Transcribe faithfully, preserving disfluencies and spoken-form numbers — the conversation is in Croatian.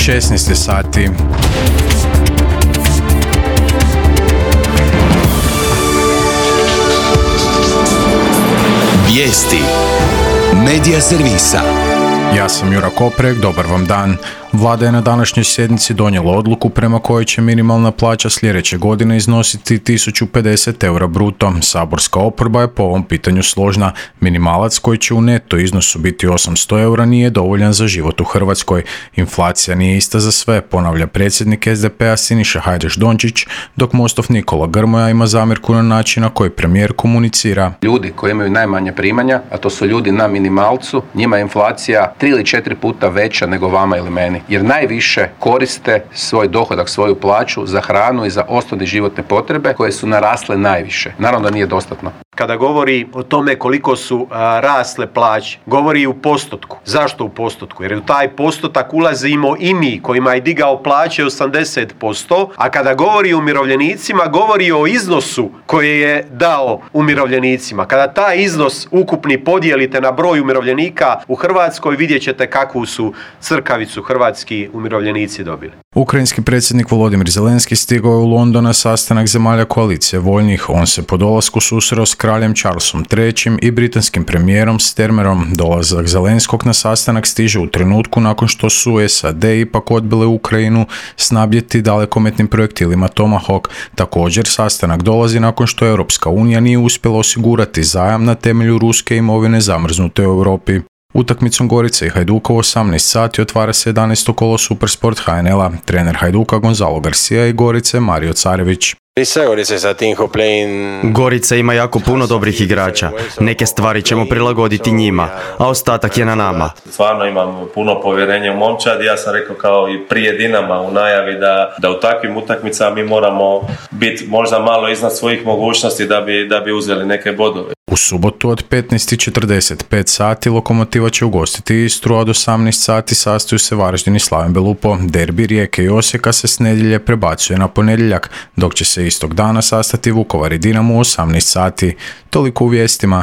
šesnaest je sati. Vijesti Medija servisa. Ja sam Jura Koprek, dobar vam dan. Vlada je na današnjoj sjednici donijela odluku prema kojoj će minimalna plaća sljedeće godine iznositi tisuću pedeset eura bruto. Saborska oporba je po ovom pitanju složna. Minimalac koji će u neto iznosu biti osamsto eura nije dovoljan za život u Hrvatskoj. Inflacija nije ista za sve, ponavlja predsjednik es de pe-a Siniša Hajdaš Dončić, dok Mostov Nikola Grmoja ima zamjerku na način na koji premijer komunicira. Ljudi koji imaju najmanje primanja, a to su ljudi na minimalcu, njima je inflacija tri ili četiri puta veća nego vama ili meni. Jer najviše koriste svoj dohodak, svoju plaću za hranu i za osnovne životne potrebe koje su narasle najviše. Naravno da nije dostatno. Kada govori o tome koliko su a, rasle plaće, govori u postotku. Zašto u postotku? Jer u taj postotak ulazimo i mi kojima je digao plaće osamdeset posto, a kada govori o umirovljenicima, govori o iznosu koji je dao umirovljenicima. Kada taj iznos ukupni podijelite na broj umirovljenika u Hrvatskoj, vidjet ćete kakvu su crkavicu hrvatski umirovljenici dobili. Ukrajinski predsjednik Volodimir Zelenski stigao je u London na sastanak zemalja koalicije voljnih. On se po dolasku susreo s kraljem Charlesom trećim i britanskim premijerom Starmerom. Dolazak Zelenskog na sastanak stiže u trenutku nakon što su es a de ipak odbile Ukrajinu snabdjeti dalekometnim projektilima Tomahawk. Također, sastanak dolazi nakon što Europska unija nije uspjela osigurati zajam na temelju ruske imovine zamrznute u Europi. Utakmicom Gorice i Hajduka u osamnaest sati otvara se jedanaesto kolo Supersport ha en el-a. Trener Hajduka Gonzalo Garcia i Gorice Mario Carević. Gorica ima jako puno dobrih igrača. Neke stvari ćemo prilagoditi njima, a ostatak je na nama. Stvarno imam puno povjerenja u momčad. Ja sam rekao kao i prije Dinama u najavi da, da u takvim utakmicama mi moramo biti možda malo iznad svojih mogućnosti da bi, da bi uzeli neke bodove. U subotu od petnaest i četrdeset pet sati Lokomotiva će ugostiti Istru, a od osamnaest sati sastaju se Varaždin i Slaven Belupo. Derbi Rijeke i Osijeka se s nedjelje prebacuje na ponedjeljak, dok će se istog dana sastati Vukovar i Dinamo u osamnaest sati. Toliko u vijestima.